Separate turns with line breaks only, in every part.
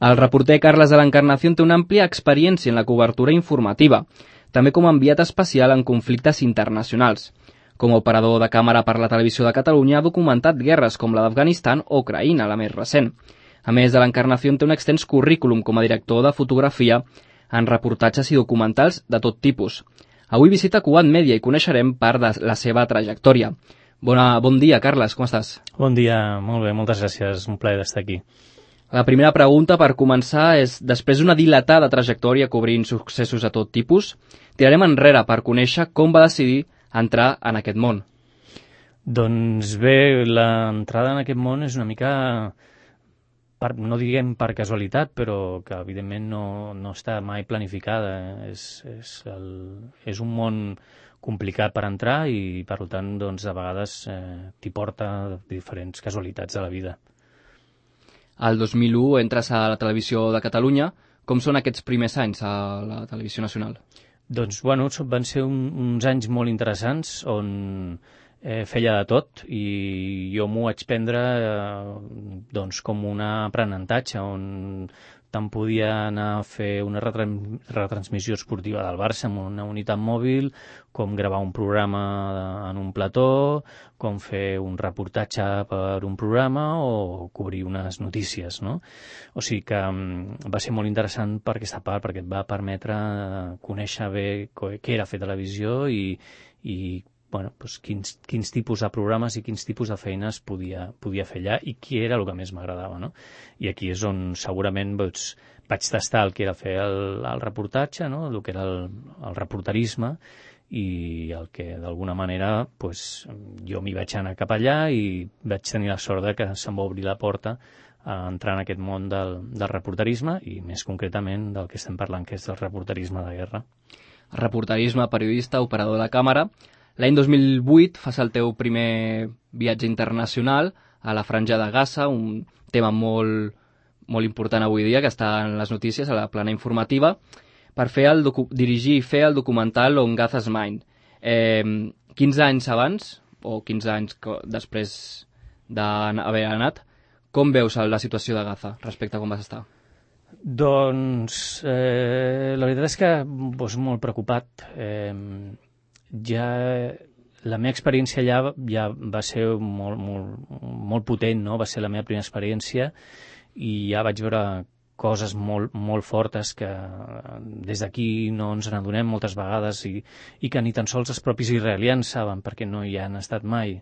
El reporter Carles de l'Encarnación té una àmplia experiència en la cobertura informativa, també com a enviat especial en conflictes internacionals. Com a operador de càmera per la Televisió de Catalunya ha documentat guerres com la d'Afganistan o Ucraïna, la més recent. A més de l'Encarnación té un extens currículum com a director de fotografia en reportatges i documentals de tot tipus. Avui visita Cugat Mèdia i coneixerem part de la seva trajectòria. Bon dia, Carles, com estàs?
Bon dia, molt bé, moltes gràcies, un plaer d'estar aquí.
La primera pregunta, per començar, és, després d'una dilatada trajectòria cobrint successos de tot tipus, tirarem enrere per conèixer com va decidir entrar en aquest món.
Doncs bé, l'entrada en aquest món és una mica, no diguem per casualitat, però que evidentment no està mai planificada. És un món complicat per entrar i, per tant, doncs, de vegades t'hi porta diferents casualitats de la vida.
El 2001 entres a la Televisió de Catalunya. Com són aquests primers anys a la Televisió Nacional?
Doncs, bueno, van ser uns anys molt interessants on feia de tot i jo m'ho vaig prendre doncs, com un aprenentatge on tant podia anar a fer una retransmissió esportiva del Barça amb una unitat mòbil, com gravar un programa en un plató, com fer un reportatge per un programa o cobrir unes notícies, no? O sigui que va ser molt interessant per aquesta part, perquè et va permetre conèixer bé què era fer televisió i bueno, doncs quins tipus de programes i quins tipus de feines podia fer allà i què era el que més m'agradava, no? I aquí és on segurament vaig tastar el que era fer el reportatge, no? El que era el reporterisme i el que d'alguna manera doncs, jo m'hi vaig anar cap allà i vaig tenir la sort que se'm va obrir la porta a entrar en aquest món del reporterisme i més concretament del que estem parlant, que és el reporterisme de guerra.
Reporterisme, periodista, operador de càmera. L'any 2008 fas el teu primer viatge internacional a la Franja de Gaza, un tema molt important avui dia, que està en les notícies, a la plana informativa, per dirigir i fer el documental On Gaza's Mind. 15 anys abans, o 15 anys després d'haver anat, com veus la situació de Gaza respecte a com vas estar?
Doncs la veritat és que molt preocupat. Ja la meva experiència allà ja va ser molt potent, no? Va ser la meva primera experiència i ja vaig veure coses molt fortes que des d'aquí no ens n'adonem moltes vegades i que ni tan sols els propis israelians saben perquè no hi han estat mai.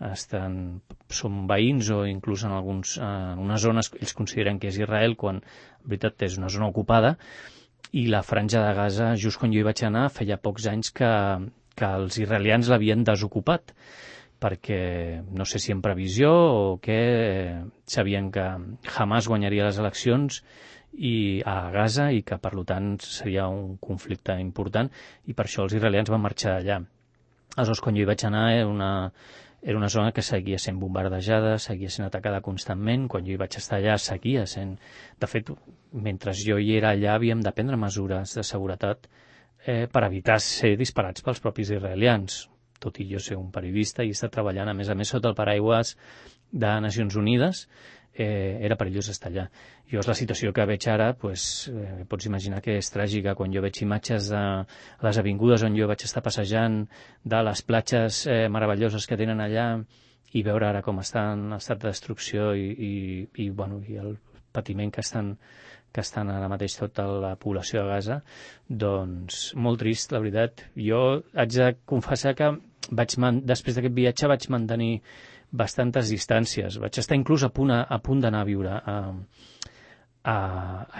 Són veïns o inclús en unes zones que ells consideren que és Israel quan en veritat és una zona ocupada i la Franja de Gaza, just quan jo hi vaig anar, feia pocs anys que els israelians l'havien desocupat perquè no sé si en previsió o què, sabien que Hamas guanyaria les eleccions a Gaza i que per tant seria un conflicte important i per això els israelians van marxar d'allà. Aleshores, quan jo hi vaig anar era una zona que seguia sent bombardejada, seguia sent atacada constantment. Quan jo hi vaig estar allà seguia sent... De fet, mentre jo hi era allà havíem de prendre mesures de seguretat per evitar ser disparats pels propis israelians, tot i jo ser un periodista i estar treballant, a més sota el paraigües de Nacions Unides, era perillós estar allà. Jo la situació que veig ara, pots imaginar que és tràgica. Quan jo veig imatges de les avingudes on jo vaig estar passejant, de les platges meravelloses que tenen allà, i veure ara com està en estat de destrucció i el patiment que estan ara mateix tota la població de Gaza, doncs molt trist, la veritat. Jo haig de confessar que després d'aquest viatge vaig mantenir bastantes distàncies. Vaig estar inclús a punt d'anar a viure a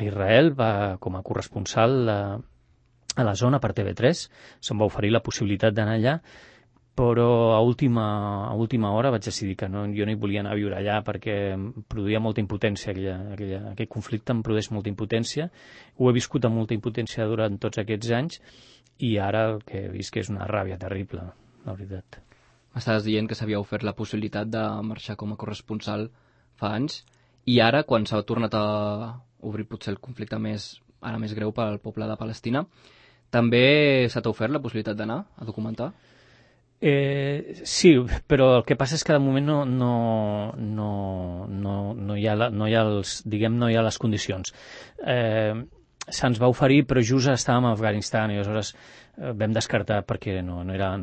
Israel com a corresponsal a la zona per TV3. Se'm va oferir la possibilitat d'anar allà, però a última hora vaig decidir que jo no hi volia anar a viure allà perquè em produïa molta impotència, aquell conflicte em produeix molta impotència. Ho he viscut amb molta impotència durant tots aquests anys i ara el que he vist que és una ràbia terrible, la veritat.
M'estaves dient que s'havia ofert la possibilitat de marxar com a corresponsal fa anys i ara, quan s'ha tornat a obrir potser el conflicte més greu pel poble de Palestina, també s'ha ofert la possibilitat d'anar a documentar?
Sí, però el que passa és que de moment no hi ha, no hi ha no hi ha les condicions. Se'ns va oferir, però just estàvem a Afganistan i aleshores vam descartar perquè no era,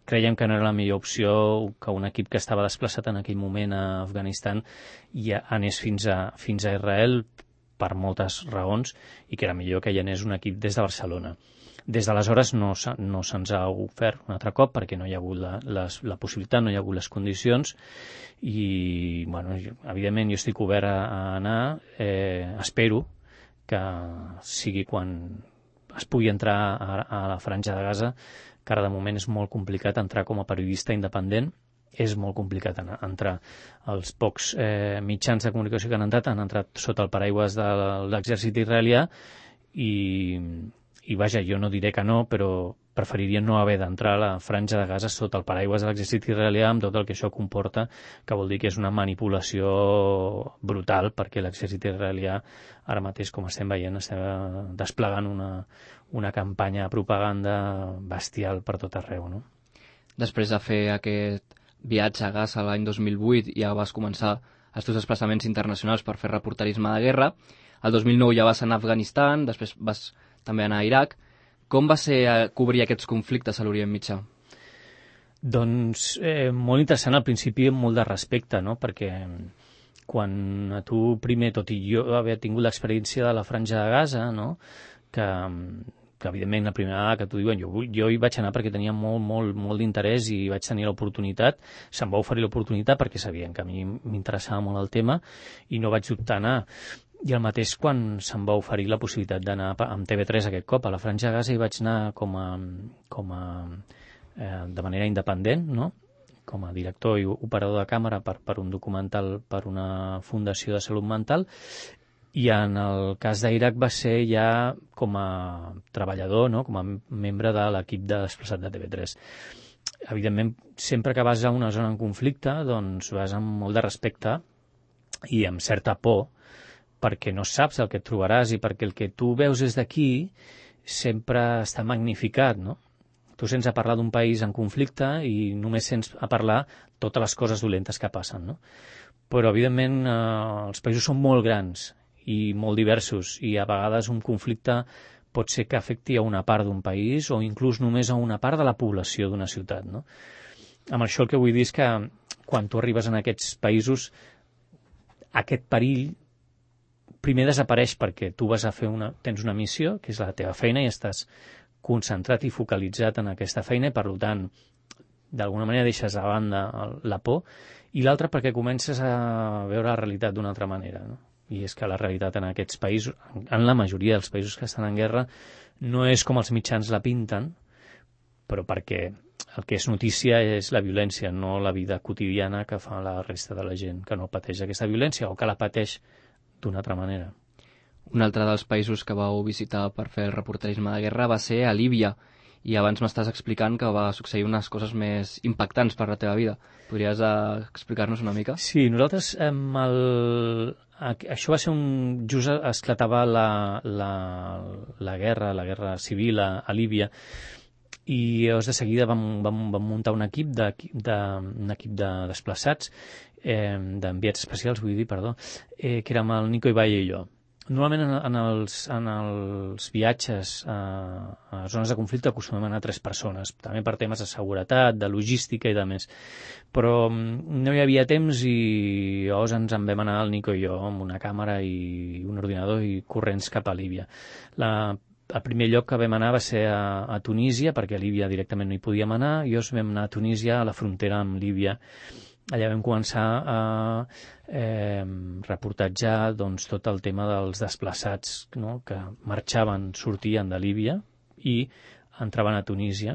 creiem que no era la millor opció que un equip que estava desplaçat en aquell moment a Afganistan i anés fins a Israel per moltes raons i que era millor que hi anés un equip des de Barcelona. Des d'aleshores no se'ns ha ofert un altre cop perquè no hi ha hagut la possibilitat, no hi ha hagut les condicions i, bueno, evidentment jo estic obert a anar, espero que sigui quan es pugui entrar a la Franja de Gaza, que ara de moment és molt complicat entrar com a periodista independent, és molt complicat entrar. Els pocs mitjans de comunicació que han entrat sota el paraigües de l'exèrcit israelià i vaja, jo no diré que no, però preferiria no haver d'entrar a la Franja de Gaza sota el paraigües de l'exèrcit israelià amb tot el que això comporta, que vol dir que és una manipulació brutal, perquè l'exèrcit israelià ara mateix, com estem veient, estem desplegant una campanya de propaganda bestial per tot arreu, no?
Després de fer aquest viatge a Gaza l'any 2008 ja vas començar els teus desplaçaments internacionals per fer reporterisme de guerra. El 2009 ja vas anar a Afganistan, després vas també anar a Iraq. Com va ser cobrir aquests conflictes a l'Orient Mitjà?
Doncs molt interessant al principi amb molt de respecte, no? Perquè quan a tu primer, tot i jo haver tingut l'experiència de la Franja de Gaza, no? que evidentment la primera vegada que t'ho diuen, jo hi vaig anar perquè tenia molt d'interès i vaig tenir l'oportunitat, se'm va oferir l'oportunitat perquè sabien que a mi m'interessava molt el tema i no vaig dubtar a anar. I el mateix quan se'm va oferir la possibilitat d'anar amb TV3 aquest cop a la Franja de Gaza i vaig anar de manera independent, no? Com a director i operador de càmera per un documental per una fundació de salut mental, i en el cas d'Iraq va ser ja com a treballador, no? Com a membre de l'equip de desplaçat de TV3. Evidentment, sempre que vas a una zona en conflicte, doncs vas amb molt de respecte i amb certa por, perquè no saps el que et trobaràs i perquè el que tu veus des d'aquí sempre està magnificat, no? Tu sents a parlar d'un país en conflicte i només sents a parlar totes les coses dolentes que passen, no? Però, evidentment, els països són molt grans i molt diversos i a vegades un conflicte pot ser que afecti a una part d'un país o inclús només a una part de la població d'una ciutat, no? Amb això el que vull dir és que quan tu arribes en aquests països aquest perill primer desapareix perquè tu vas a fer tens una missió, que és la teva feina, i estàs concentrat i focalitzat en aquesta feina i, per tant, d'alguna manera deixes a banda la por, i l'altra perquè comences a veure la realitat d'una altra manera, no? I és que la realitat en aquests països, en la majoria dels països que estan en guerra, no és com els mitjans la pinten, però perquè el que és notícia és la violència, no la vida quotidiana que fa la resta de la gent que no pateix aquesta violència o que la pateix d'una altra manera.
Un altre dels països que vau visitar per fer el reporterisme de guerra va ser a Líbia, i abans m'estàs explicant que va succeir unes coses més impactants per la teva vida. Podries explicar-nos una mica?
Sí, nosaltres això va ser just esclatava la guerra civil a Líbia, i llavors de seguida vam muntar un equip de desplaçats, d'enviats especials, vull dir, perdó, que érem el Nico Ibaye i jo. Normalment en els viatges a zones de conflicte acostumem a anar 3 persones, també per temes de seguretat, de logística i de més. Però no hi havia temps i llavors ens en vam anar el Nico i jo amb una càmera i un ordinador i corrents cap a Líbia. El primer lloc que vam anar va ser a Tunísia, perquè a Líbia directament no hi podíem anar, i llavors vam anar a Tunísia, a la frontera amb Líbia. Allà vam començar a reportatjar doncs, tot el tema dels desplaçats, no? Que marxaven, sortien de Líbia i entraven a Tunísia.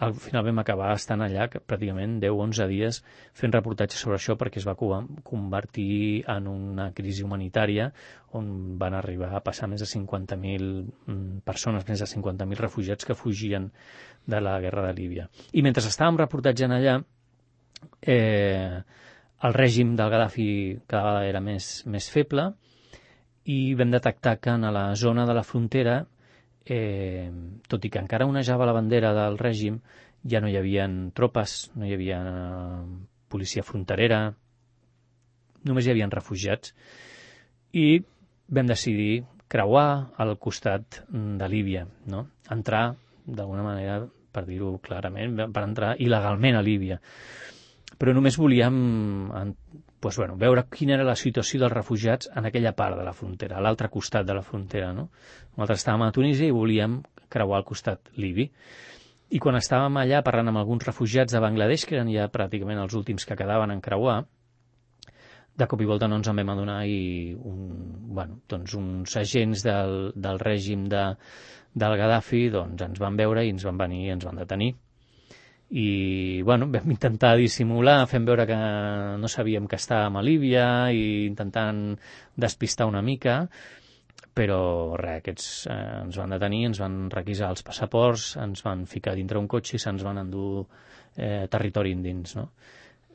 Al final vam acabar estant allà pràcticament 10-11 dies fent reportatges sobre això perquè es va convertir en una crisi humanitària on van arribar a passar més de 50.000 persones, més de 50.000 refugiats que fugien de la guerra de Líbia. I mentre estàvem reportatjant allà, el règim del Gaddafi cada vegada era més feble i vam detectar que en la zona de la frontera tot i que encara onejava la bandera del règim, ja no hi havia tropes, no hi havia policia fronterera, només hi havia refugiats, i vam decidir creuar al costat de Líbia, no? Entrar, d'alguna manera, per dir-ho clarament, per entrar il·legalment a Líbia. Però només volíem veure quina era la situació dels refugiats en aquella part de la frontera, a l'altre costat de la frontera, no? Nosaltres estàvem a Tunísia i volíem creuar al costat libi. I quan estàvem allà parlant amb alguns refugiats de Bangladesh, que eren ja pràcticament els últims que quedaven en creuar, de cop i volta no ens en vam adonar i uns agents del règim del Gaddafi ens van veure i ens van venir i ens van detenir. I vam intentar dissimular, fent veure que no sabíem que estàvem a Líbia i intentant despistar una mica, però aquests ens van detenir, ens van requisar els passaports, ens van ficar dintre un cotxe i se'ns van endur territori endins, no?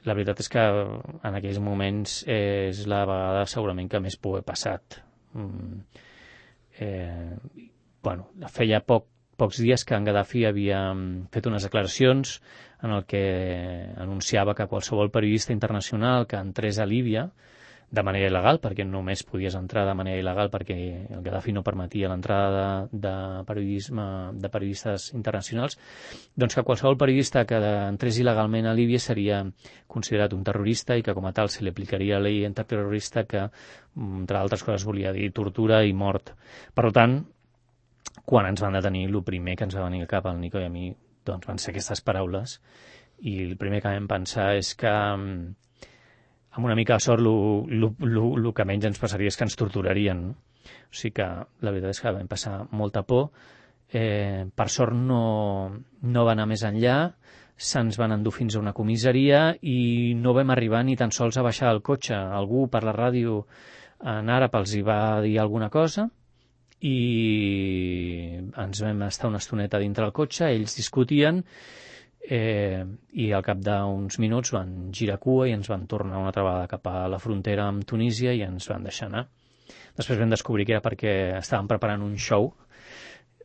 La veritat és que en aquells moments és la vegada segurament que més por he passat. Feia pocs dies que en Gaddafi havia fet unes declaracions en el que anunciava que qualsevol periodista internacional que entrés a Líbia de manera il·legal, perquè només podies entrar de manera il·legal perquè el Gaddafi no permetia l'entrada de periodistes internacionals, doncs que qualsevol periodista que entrés il·legalment a Líbia seria considerat un terrorista i que com a tal se li aplicaria la llei antiterrorista que, entre altres coses, volia dir tortura i mort. Per tant, quan ens van detenir, el primer que ens va venir al cap al Nico i a mi van ser aquestes paraules, i el primer que vam pensar és que amb una mica de sort el que menys ens passaria és que ens torturarien, no? O sigui que la veritat és que vam passar molta por. Per sort no va anar més enllà, se'ns van endur fins a una comissaria i no vam arribar ni tan sols a baixar del cotxe. Algú per la ràdio en àrab els hi va dir alguna cosa i ens vam estar una estoneta dintre del cotxe, ells discutien i al cap d'uns minuts van girar cua i ens van tornar una altra vegada cap a la frontera amb Tunísia i ens van deixar anar. Després vam descobrir que era perquè estaven preparant un show.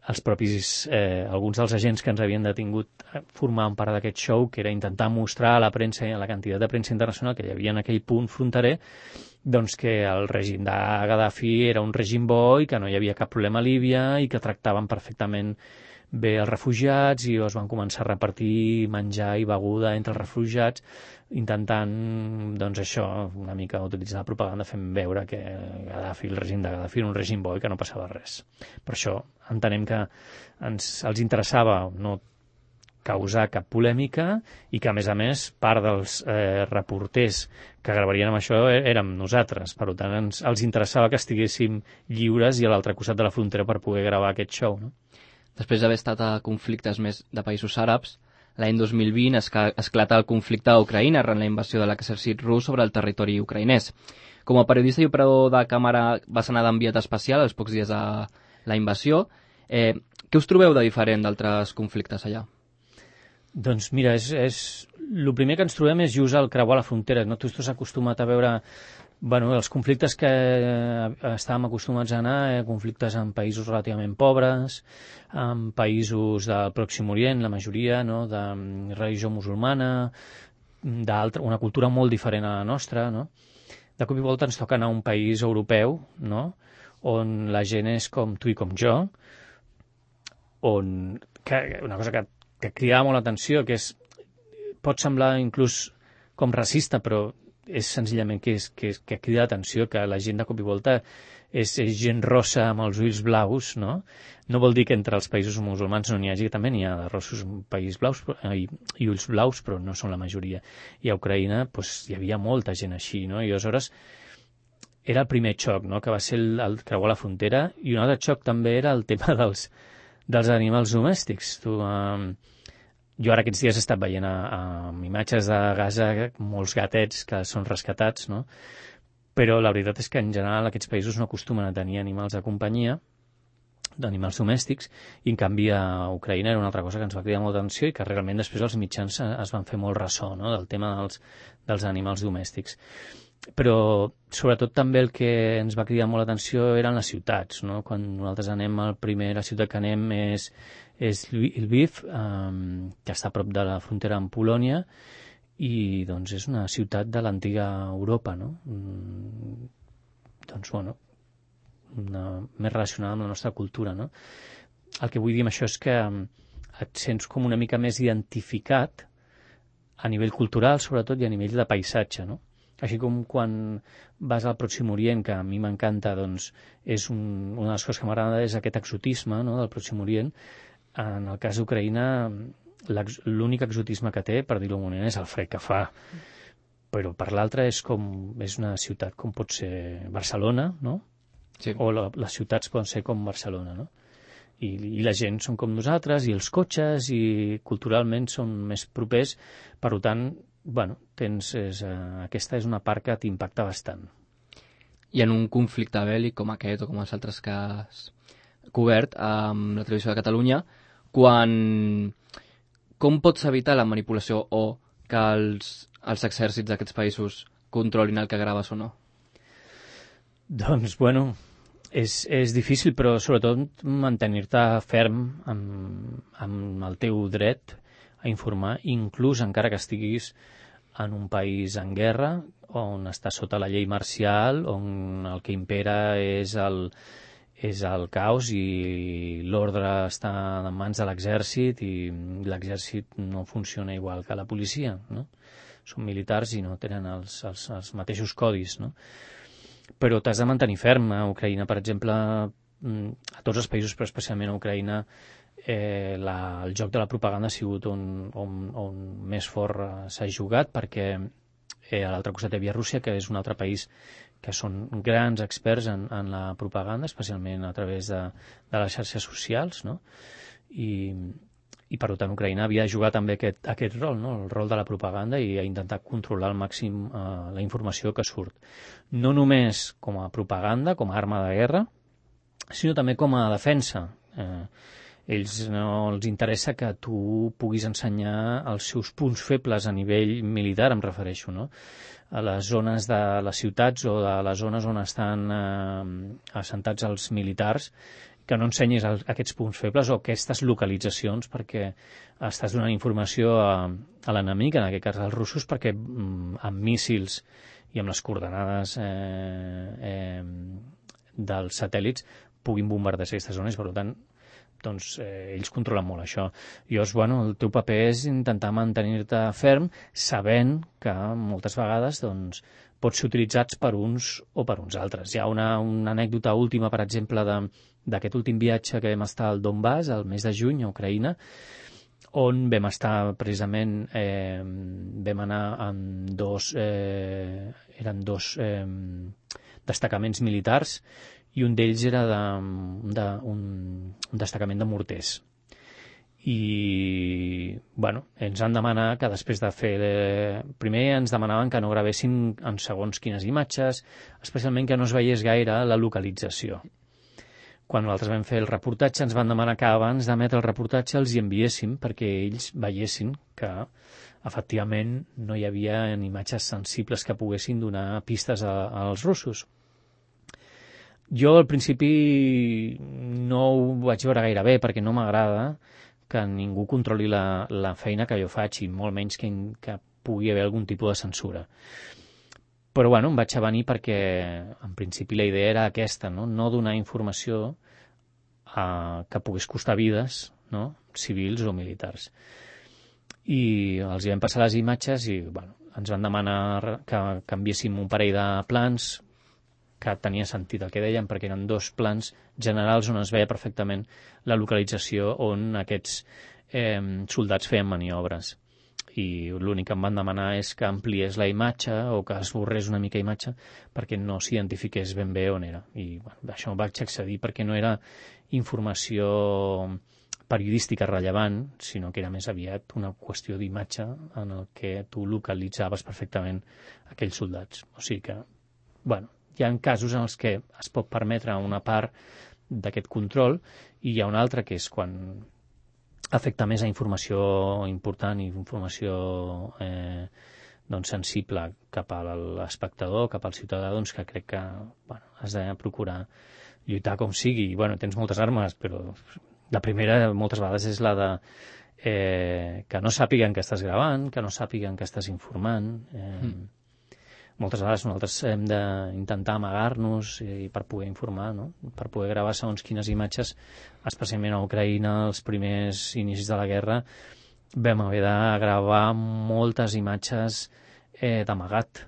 Alguns dels agents que ens havien detingut formaven part d'aquest show, que era intentar mostrar a la premsa, a la quantitat de premsa internacional que hi havia en aquell punt fronterer, doncs que el règim de Gaddafi era un règim bo i que no hi havia cap problema a Líbia i que tractaven perfectament bé els refugiats i es van començar a repartir menjar i beguda entre els refugiats, intentant, doncs això, una mica utilitzar la propaganda fent veure que el règim de Gaddafi era un règim bo i que no passava res. Per això entenem que els interessava no causar cap polèmica i que, a més, part dels reporters que gravarien amb això érem nosaltres. Per tant, els interessava que estiguéssim lliures i a l'altre costat de la frontera per poder gravar aquest show, no?
Després d'haver estat a conflictes més de països àrabs, l'any 2020 esclata el conflicte a Ucraïna arran la invasió de l'exèrcit rus sobre el territori ucraïnès. Com a periodista i operador de càmera vas anar d'enviat especial als pocs dies de la invasió. Què us trobeu de diferent d'altres conflictes allà?
Doncs mira, el primer que ens trobem és just al creuar la frontera. No? Tu estàs acostumat a veure els conflictes que estàvem acostumats a anar, conflictes en països relativament pobres, en països del Pròxim Orient, la majoria, no? De religió musulmana, una cultura molt diferent a la nostra, no? De cop i volta ens toca anar a un país europeu, no? On la gent és com tu i com jo, una cosa que cridava molt l'atenció, que pot semblar inclús com racista, però és senzillament que crida l'atenció que la gent de cop i volta és gent rossa amb els ulls blaus, no? No vol dir que entre els països musulmans no n'hi hagi, també n'hi ha de rossos països blaus i ulls blaus, però no són la majoria. I a Ucraïna hi havia molta gent així, no? I aleshores era el primer xoc, no? Que va ser el creuar la frontera, i un altre xoc també era el tema dels animals domèstics. Jo ara aquests dies he estat veient amb imatges de Gaza molts gatets que són rescatats, no? Però la veritat és que en general aquests països no acostumen a tenir animals de companyia, d'animals domèstics, i en canvi a Ucraïna era una altra cosa que ens va cridar molta atenció i que realment després els mitjans es van fer molt ressò, no? Del tema dels animals domèstics. Però sobretot també el que ens va cridar molt l'atenció eren les ciutats, no? Quan nosaltres anem, la ciutat que anem és Lviv, que està a prop de la frontera amb Polònia, i doncs és una ciutat de l'antiga Europa, no? Doncs bueno, més relacionada amb la nostra cultura, no? El que vull dir amb això és que et sents com una mica més identificat a nivell cultural, sobretot, i a nivell de paisatge, no? Així com quan vas al Pròxim Orient, que a mi m'encanta, doncs és una de les coses que m'agrada és aquest exotisme, no?, del Pròxim Orient. En el cas d'Ucraïna, l'únic exotisme que té, per dir-ho d'un moment, és el fred que fa. Però per l'altra és una ciutat com pot ser Barcelona, no?
Sí.
O les ciutats poden ser com Barcelona, no? I la gent són com nosaltres, i els cotxes, i culturalment són més propers, per tant, bueno, aquesta és una part que t'impacta bastant.
I en un conflicte bèl·lic com aquest o com els altres que has cobert amb la Televisió de Catalunya, com pots evitar la manipulació o que els exèrcits d'aquests països controlin el que graves o no?
Doncs, bueno, és difícil, però sobretot mantenir-te ferm amb el teu dret a informar, inclús encara que estiguis en un país en guerra, on està sota la llei marcial, on el que impera és el caos i l'ordre està en mans de l'exèrcit, i l'exèrcit no funciona igual que la policia, no? Són militars i no tenen els mateixos codis, no? Però t'has de mantenir ferm. A Ucraïna, per exemple, a tots els països, però especialment a Ucraïna, el joc de la propaganda ha sigut on més fort s'ha jugat, perquè a l'altre costat hi havia Rússia, que és un altre país que són grans experts en la propaganda, especialment a través de les xarxes socials, no? I per tant Ucraïna havia de jugar també aquest rol, no? El rol de la propaganda, i a intentar controlar al màxim la informació que surt. No només com a propaganda, com a arma de guerra, sinó també com a defensa. Ells no els interessa que tu puguis ensenyar els seus punts febles a nivell militar, em refereixo, no? A les zones de les ciutats o de les zones on estan assentats els militars, que no ensenyis aquests punts febles o aquestes localitzacions, perquè estàs donant informació a l'enemic, en aquest cas als russos, perquè amb míssils i amb les coordenades dels satèl·lits puguin bombardejar aquestes zones. Per tant, doncs, ells controlen molt això. Llavors, bueno, el teu paper és intentar mantenir-te ferm, sabent que moltes vegades doncs, pots ser utilitzats per uns o per uns altres. Hi ha una anècdota última, per exemple, d'aquest últim viatge que vam estar al Donbass, al mes de juny, a Ucraïna, on vam estar precisament, vam anar amb eren dos destacaments militars, i un d'ells era un destacament de morters. I, bueno, ens han demanat que després de fer... Primer ens demanaven que no gravéssim en segons quines imatges, especialment que no es veiés gaire la localització. Quan nosaltres vam fer el reportatge, ens van demanar que abans d'emetre el reportatge els hi enviéssim perquè ells veiessin que, efectivament, no hi havia imatges sensibles que poguessin donar pistes als russos. Jo, al principi, no ho vaig veure gaire bé, perquè no m'agrada que ningú controli la feina que jo faig, i molt menys que pugui haver algun tipus de censura. Però, bueno, em vaig avenir perquè, en principi, la idea era aquesta, no donar informació que pogués costar vides, no? Civils o militars. I els hi vam passar les imatges i, bueno, ens van demanar que canviéssim un parell de plans, que tenia sentit el que deien, perquè eren dos plans generals on es veia perfectament la localització on aquests soldats feien maniobres. I l'únic que em van demanar és que ampliés la imatge o que esborrés una mica imatge perquè no s'identifiqués ben bé on era. I bueno, això vaig accedir perquè no era informació periodística rellevant, sinó que era més aviat una qüestió d'imatge en el que tu localitzaves perfectament aquells soldats. O sigui que, bueno, hi ha casos en els que es pot permetre una part d'aquest control, i hi ha un altre que és quan afecta més a informació important i informació sensible cap a l'espectador, cap al ciutadà, doncs que crec que has de procurar lluitar com sigui. I tens moltes armes, però la primera moltes vegades és la de que no sàpiguen que estàs gravant, que no sàpiguen que estàs informant. Moltes vegades nosaltres hem d'intentar amagar-nos per poder informar, no? Per poder gravar segons quines imatges, especialment a Ucraïna, els primers inicis de la guerra, vam haver de gravar moltes imatges d'amagat,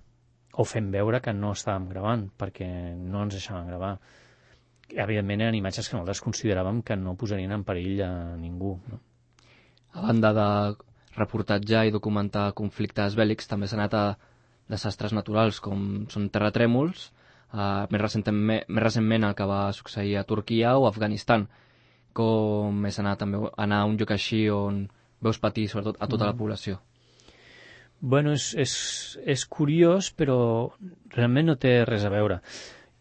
o fent veure que no estàvem gravant, perquè no ens deixaven gravar. Evidentment eren imatges que nosaltres consideràvem que no posarien en perill a ningú, no?
A banda de reportatjar i documentar conflictes bèl·lics, també s'ha anat a desastres naturals, com són terratrèmols, més recentment el que va succeir a Turquia o a Afganistan. Com és anar a un lloc així on veus patir sobretot a tota la població?
És curiós, però realment no té res a veure.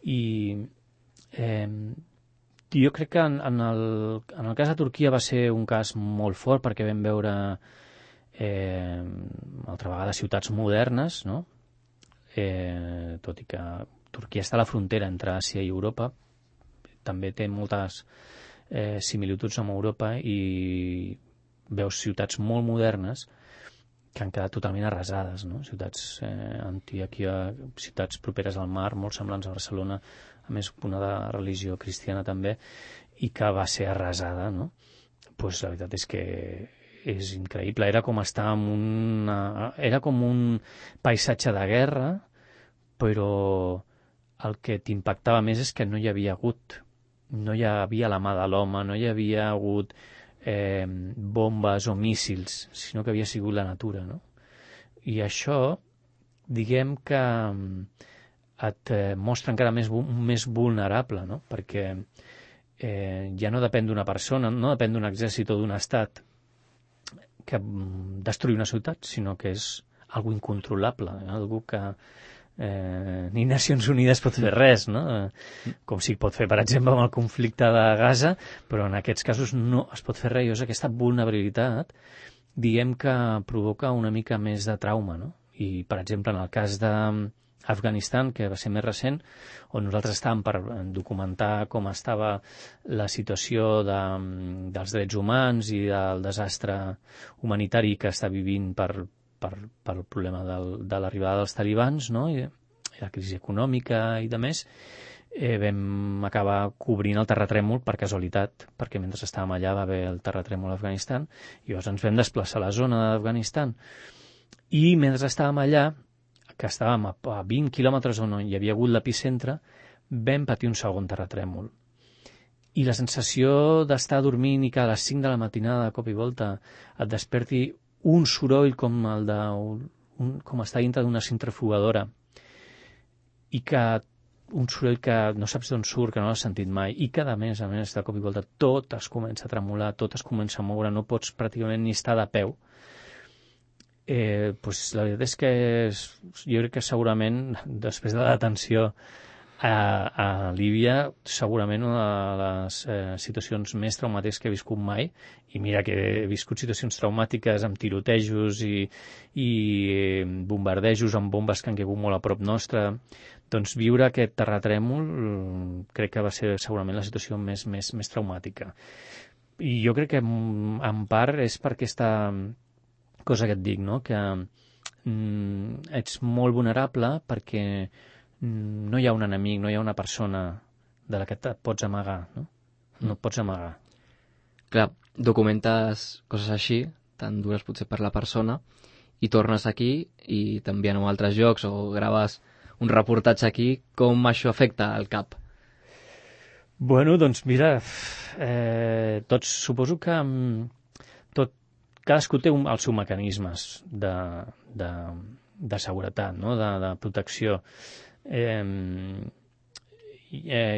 I jo crec que en el cas de Turquia va ser un cas molt fort, perquè vam veure altra vegada ciutats modernes, no? Tot i que Turquia està a la frontera entre Àsia i Europa, també té moltes similituds amb Europa, i veus ciutats molt modernes que han quedat totalment arrasades, no? Ciutats Antioquia, ciutats properes al mar, molt semblants a Barcelona, a més una de religió cristiana també, i que va ser arrasada, no? Pues la veritat és que és increïble. Era com estar era com un paisatge de guerra, però el que t'impactava més és que no hi havia la mà de l'home, no hi havia hagut bombes o míssils, sinó que havia sigut la natura, no? I això, diguem que et mostra encara més vulnerable, no? Perquè ja no depèn d'una persona, no depèn d'un exèrcit o d'un estat que destruir una ciutat, sinó que és algo incontrolable, algo que ni Nacions Unides pot fer res, no? Com si pot fer, per exemple, amb el conflicte de Gaza, però en aquests casos no es pot fer res. I és aquesta vulnerabilitat, diguem que provoca una mica més de trauma, no? I, per exemple, en el cas d'Afganistan, que va ser més recent, on nosaltres estàvem per documentar com estava la situació dels drets humans i del desastre humanitari que està vivint pel problema de l'arribada dels talibans, no? I la crisi econòmica i de més, vam acabar cobrint el terratrèmol per casualitat, perquè mentre estàvem allà va haver el terratrèmol a Afganistan, i llavors ens vam desplaçar a la zona d'Afganistan, i mentre estàvem allà, que estàvem a 20 quilòmetres on hi havia hagut l'epicentre, vam patir un segon terratrèmol. I la sensació d'estar dormint i que a les 5 de la matinada, de cop i volta, et desperti un soroll com com estar dintre d'una centrifugadora, i que un soroll que no saps d'on surt, que no l'has sentit mai, i que a més, de cop i volta tot es comença a tremolar, tot es comença a moure, no pots pràcticament ni estar de peu. Pues la veritat és que jo crec que segurament, després de la detenció a Líbia, segurament una de les situacions més traumàtiques que he viscut mai, i mira que he viscut situacions traumàtiques amb tirotejos i bombardejos amb bombes que han caigut molt a prop nostre, doncs viure aquest terratrèmol crec que va ser segurament la situació més traumàtica. I jo crec que en part és per aquesta cosa que et dic, no? Que ets molt vulnerable perquè no hi ha un enemic, no hi ha una persona de la que et pots amagar, no? No et pots amagar.
Clar, documentes coses així, tan dures potser per la persona, i tornes aquí i t'envien a altres llocs o graves un reportatge aquí, com això afecta al cap?
Bueno, doncs mira, tots suposo que cadascú té els seus mecanismes de seguretat, no? De protecció.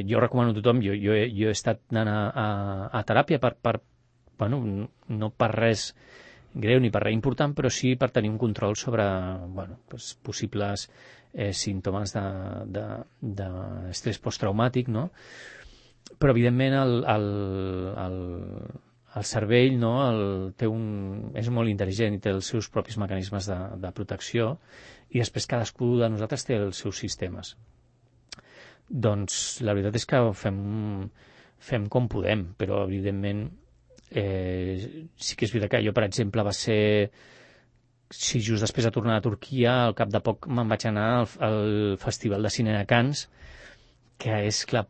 Jo recomano a tothom, jo he estat anant a teràpia bueno, no per res greu ni per res important, però sí per tenir un control sobre possibles símptomes d'estrès posttraumàtic, no? Però evidentment el cervell, no, és molt intel·ligent i té els seus propis mecanismes de protecció, i després cadascú de nosaltres té els seus sistemes. Doncs la veritat és que fem com podem, però evidentment sí que és veritat que jo, per exemple, just després de tornar a Turquia, al cap de poc me'n vaig anar al Festival de Cine de Canes, que és, clar,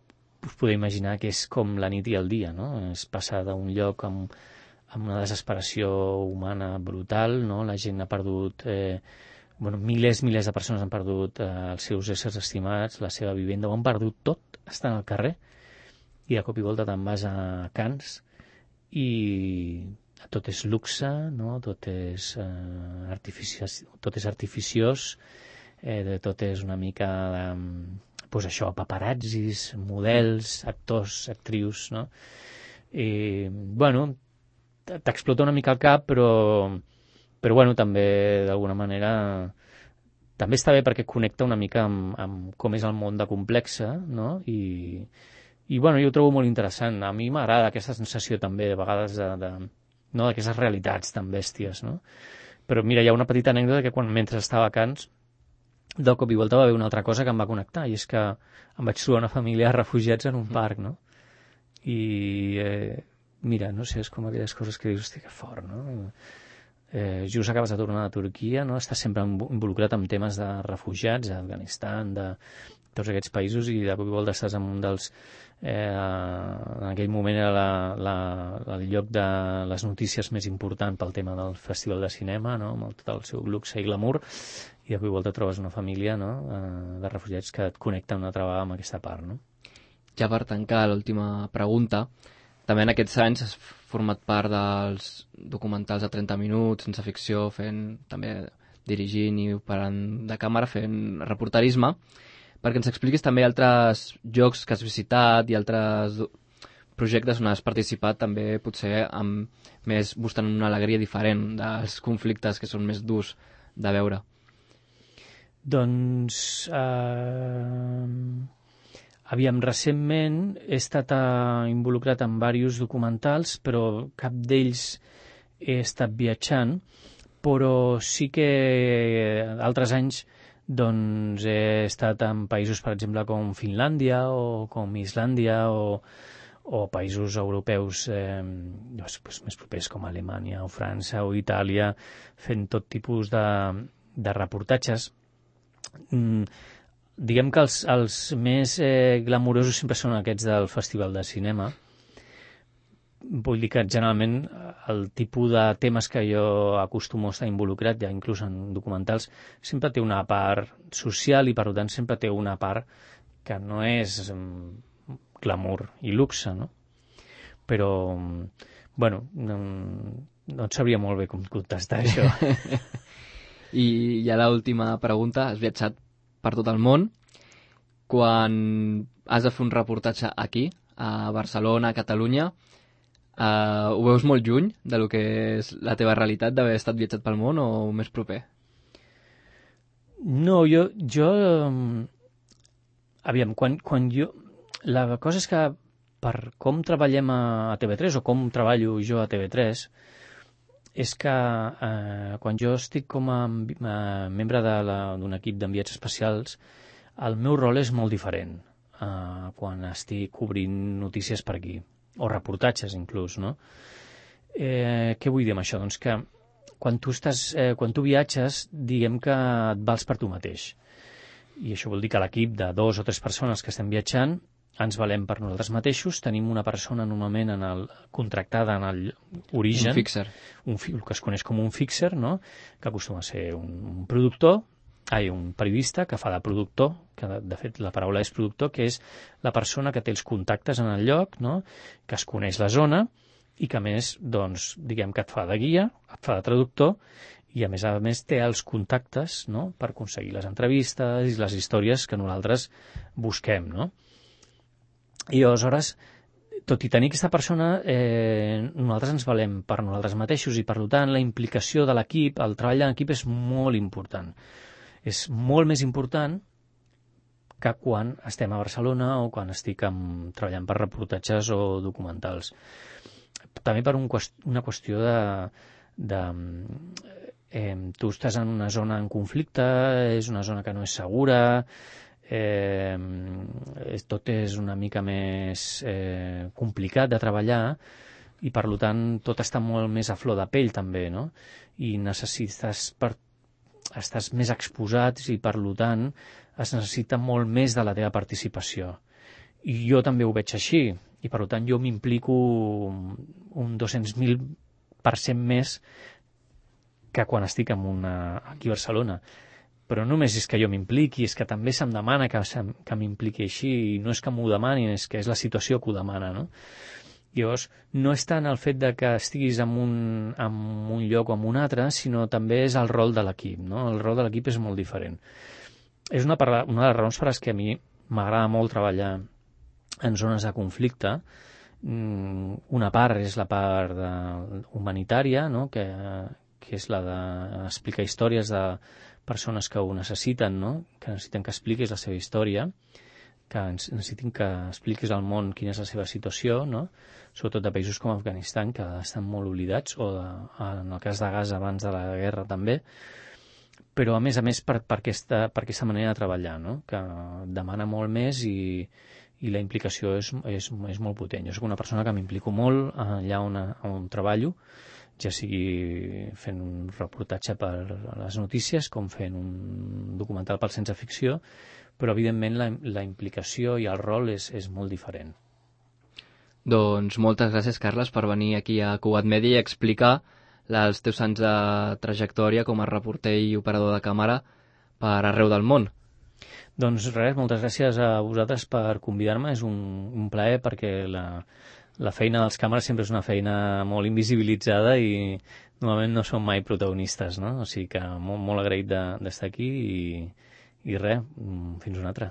us podeu imaginar que és com la nit i el dia, no? És passar d'un lloc amb una desesperació humana brutal, no? La gent ha perdut, milers de persones han perdut els seus éssers estimats, la seva vivenda, ho han perdut tot, estan al carrer, i de cop i volta te'n vas a Canes i tot és luxe, no? Tot és artificiós, tot és una mica doncs això, paparazzis, models, actors, actrius, no? I, t'explota una mica el cap, però també, d'alguna manera, també està bé perquè connecta una mica amb com és el món de complexa, no? I jo ho trobo molt interessant. A mi m'agrada aquesta sensació també, de vegades, no, d'aquestes realitats tan bèsties, no? Però mira, hi ha una petita anècdota que mentre estava a Canes, de cop i volta va haver una altra cosa que em va connectar, i és que em vaig trobar una família de refugiats en un parc, no? I mira, no sé, és com aquelles coses que dius, hosti, que fort, no? Just acabes de tornar de Turquia, no? Estàs sempre involucrat en temes de refugiats, d'Afganistan, de tots aquests països, i de cop i volta estàs en un dels... en aquell moment era el lloc de les notícies més important pel tema del Festival de Cinema, no? Amb tot el seu luxe i glamour, i de cop i volta trobes una família, no? De refugiats que et connecta una altra vegada amb aquesta part, no?
Ja per tancar l'última pregunta, també en aquests anys has format part dels documentals de 30 minuts, sense ficció, també dirigint i operant de càmera, fent reporterisme, perquè ens expliquis també altres llocs que has visitat i altres projectes on has participat, també potser buscant una alegria diferent dels conflictes que són més durs de veure.
Doncs, aviam, recentment he estat involucrat en diversos documentals, però cap d'ells he estat viatjant, però sí que altres anys doncs he estat en països, per exemple, com Finlàndia o com Islàndia o països europeus més propers com Alemanya o França o Itàlia, fent tot tipus de reportatges. Diguem que els més glamurosos sempre són aquests del Festival de Cinema. Vull dir que generalment el tipus de temes que jo acostumo a estar involucrat, ja inclús en documentals, sempre té una part social i per tant sempre té una part que no és glamour i luxe, no? Però, no et sabria molt bé com contestar això.
I ja l'última pregunta, has viatjat per tot el món. Quan has de fer un reportatge aquí, a Barcelona, a Catalunya, ho veus molt lluny de lo que és la teva realitat d'haver estat viatjat pel món o més proper?
No, jo aviam, quan jo... La cosa és que per com treballem a TV3 o com treballo jo a TV3 és que quan jo estic com a membre d'un equip d'enviats especials, el meu rol és molt diferent quan estic cobrint notícies per aquí, o reportatges inclús, no? Què vull dir amb això? Doncs que quan tu viatges, diguem que et vals per tu mateix. I això vol dir que l'equip de 2 o 3 persones que estem viatjant ens valem per nosaltres mateixos, tenim una persona normalment contractada en l'origen,
un fixer,
el que es coneix com un fixer, no? Que acostuma a ser un productor, un periodista que fa de productor, que de fet la paraula és productor, que és la persona que té els contactes en el lloc, no? Que es coneix la zona i que a més, doncs, diguem que et fa de guia, et fa de traductor i a més té els contactes, no? Per aconseguir les entrevistes i les històries que nosaltres busquem, no? I aleshores, tot i tenir aquesta persona, nosaltres ens valem per nosaltres mateixos i, per tant, la implicació de l'equip, el treball en equip és molt important. És molt més important que quan estem a Barcelona o quan estic treballant per reportatges o documentals. també per una qüestió tu estàs en una zona en conflicte, és una zona que no és segura, tot és una mica més complicat de treballar i per tant tot està molt més a flor de pell també, no? I estàs més exposat i per tant es necessita molt més de la teva participació. I jo també ho veig així i per tant jo m'implico un 200.000% més que quan estic aquí a Barcelona. Però no només és que jo m'impliqui, és que també se'm demana que m'impliqui així, i no és que m'ho demanin, és que és la situació que ho demana, no? Llavors, no és tant el fet de que estiguis en un lloc o en un altre, sinó també és el rol de l'equip, no? El rol de l'equip és molt diferent. És una de les raons per les que a mi m'agrada molt treballar en zones de conflicte. Una part és la part humanitària, no? que és la d'explicar històries de persones que ho necessiten, no? Que necessiten que expliquis la seva història, que necessiten que expliquis al món quina és la seva situació, no? Sobretot de països com Afganistan, que estan molt oblidats, o en el cas de Gaza abans de la guerra també, però a més per aquesta manera de treballar, no? Que demana molt més i la implicació és molt potent. Jo soc una persona que m'implico molt allà on treballo, ja sigui fent un reportatge per a les notícies com fent un documental per Sense Ficció, però evidentment la implicació i el rol és molt diferent.
Doncs moltes gràcies, Carles, per venir aquí a Cugat Media i explicar els teus anys de trajectòria com a reporter i operador de càmera per arreu del món.
Doncs res, moltes gràcies a vosaltres per convidar-me, és un plaer perquè la feina dels càmeres sempre és una feina molt invisibilitzada i normalment no som mai protagonistes, no? O sigui que molt agraït d'estar aquí i res, fins una altra.